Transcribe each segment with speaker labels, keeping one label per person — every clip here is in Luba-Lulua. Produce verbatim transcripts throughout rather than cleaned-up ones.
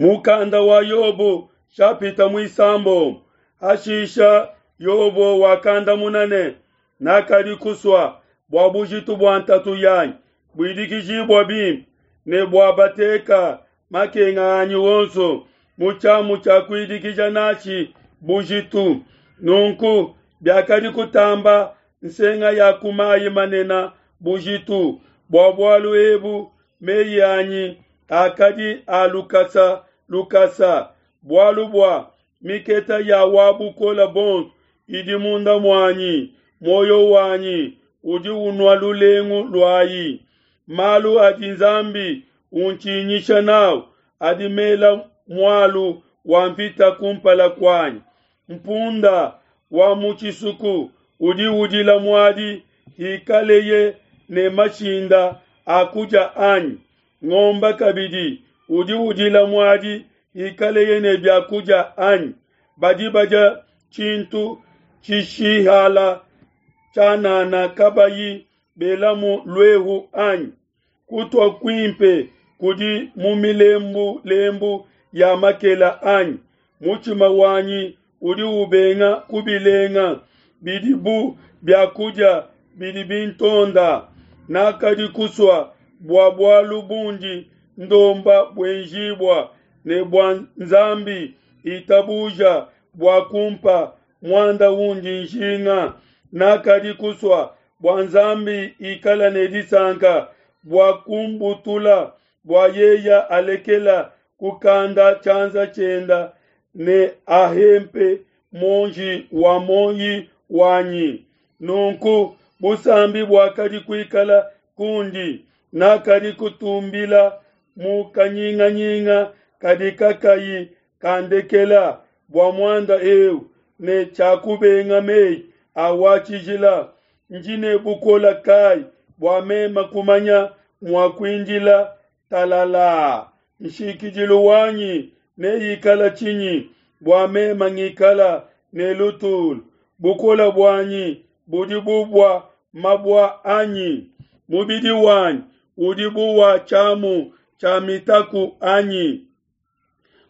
Speaker 1: Mukanda wa Yobo shapita muisambombo. Hashisha Yobo wakandamuna ne, nakadi kusua bua bujitu bua ntatu yanyi buidikijibua bimpe, ne bua bateka makenga anyi wonso mu tshiamu tshia kuidikija natshi bujitu. Nunku biakadi kutamba nsenga ya ku mayi manene bujitu. Bua bualu ebu meyi anyi akadi a lukasa lukasa, bualu bua miketa ya wa bukole buonso idi munda muanyi, muoyo wanyi udi unua lulengu luayi. Malu adi Nzambi untshinyisha nawu adi mela mualu wa mvita kumpala kuanyi. Mpunda wa mu tshisuku udi udila muadi hikaleye ne mashinda a kudia anyi? Ngomba kabidi udi udila muadi hikaleye ne bia kudia anyi? Badi badia tshintu tshishihala tshianana kabayi belamu luehu anyi? Kutua kuimpe kudi mu milembulembu ya makela anyi? Mutshima wanyi udi ubenga kubilenga, bidi bu bia kudia bidi bintonda. Nakadi kusua bua bualu bundi ndomba buenjibua, ne bua Nzambi itabuja bua kumpa muanda undi njinga. Nakadi kusua bua Nzambi ikala ne disanka bua kumbutula, bua yeya alekela kukanda tshianza tshienda ne ahempe muonji wa muoyi wanyi. Nunku busambi buakadi kuikala kundi, nakadi kutumbila mu kanyinganyinga kadi kakayi kandekela bua muanda eu, ne tshiakubenga meyi a wa tshijila. Ndi ne bukola kai bua mema kumanya mua kuindila talala? Nshikidilu wanyi neikala tshinyi bua mema ngikala ne lutulu? Bukola buanyi budi bu bua mabua anyi? Mubidi wanyi udi bu wa tshiamu tshia mitaku anyi?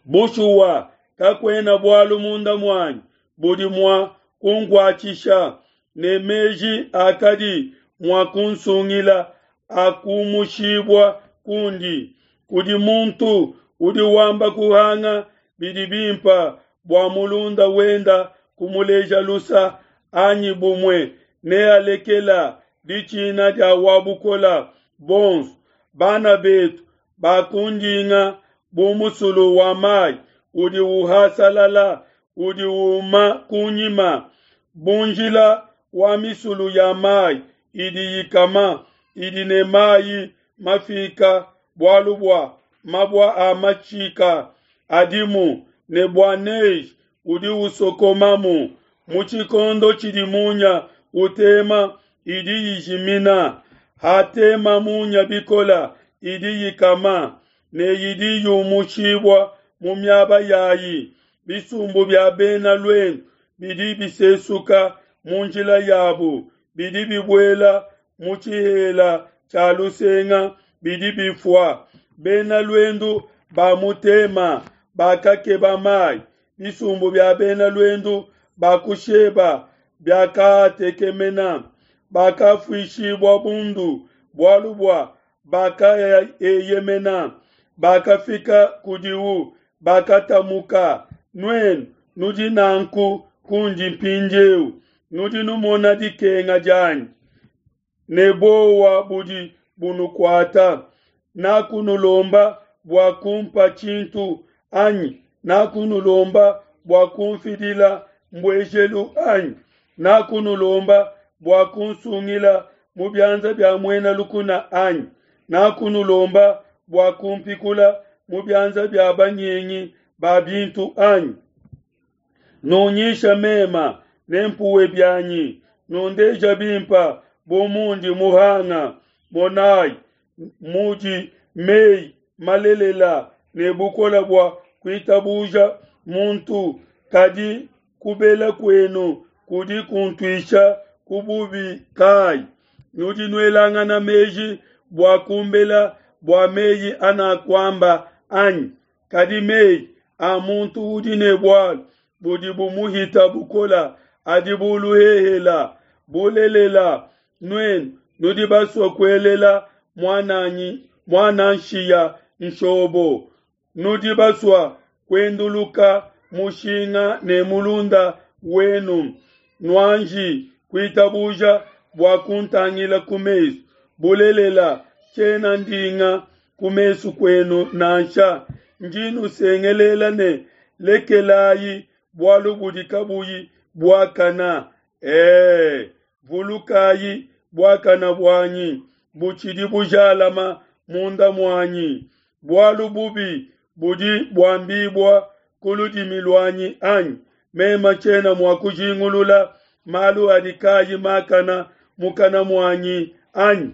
Speaker 1: Bushuwa kakuena bualu munda muanyi budi mua kunkuatshisha, ne meji akadi mua kunsungila akumushibua kundi. Kudi muntu udi wamba kuhanga bidi bimpe bua mulunda wenda kumuleja lusa, anyi bumue nealekela ditshina dia wa bukole buonso. Bana betu bakundinga bu musulu wa mai udi uhasalala, udi uma kunyima, bu njila wa misulu ya mai idi ikama, idi ne mai mafika, bualu bua mabua a mashika adimu, ne bua neige udi usokomamu. Mu tshikondo tshidi munya utema idi ijimina, hatema munya bikola idi ikama, ne idi yumushibua mu miaba yayi. Bisumbu bia bena luendu bidi bisesuka mu njila yabu, bidi bibuela mu tshihela tshia lusenga, bidi bifua. Bena luendu ba mu Tema bakakeba mai, bisumbu bia bena luendu ba ku Sheba biakatekemena, bakafuishibua bundu bualu bua bakaeyemena. Bakafika kudiwu, bakatamuka. Nuenu nudi nanku kundi mpindieu, nudi numona dikenga dianyi ne buowa budi bunukuata. Nakunulomba bua kumpa tshintu anyi? Nakunulomba bua kumfidila mbuejelu anyi? Nakunulomba bua kunsungila mu bianza bia muena lukuna anyi? Nakunulomba bua kumpikula mu bianza bia banyengi ba bintu anyi? Nunyisha mema nempuwe bianyi, nundeja bimpa bu mundi muhanga. Monai mudi meyi malelela ne bukola bua kuitabuja muntu, kadi kubela kuenu kudi kuntuisha ku bubi kai? Nudi nuelangana meji bua kumbela bua meyi anakuamba anyi? Kadi meyi a muntu udi ne bualu budi bumuhita bukola adi bu luhehela. Bulelela, nuenu nudi basue kuelela muananyi muana nshiya nshobo, nudi basua kuenduluka mushinga ne mulunda wenu. Nuanji kuitabuja bua kuntangila ku mesu. Bulelela, tshiena ndinga ku mesu kuenu nansha. Ndi nusengelela ne, lekelayi bualu budi kabuyi buakana. Ee, vulukayi buakana buanyi butshidi bujalama munda muanyi. Bualu bubi budi buambibua ku ludimi luanyi anyi? Meme tshiena mua kujingulula malu adi kayi makana mukana muanyi anyi?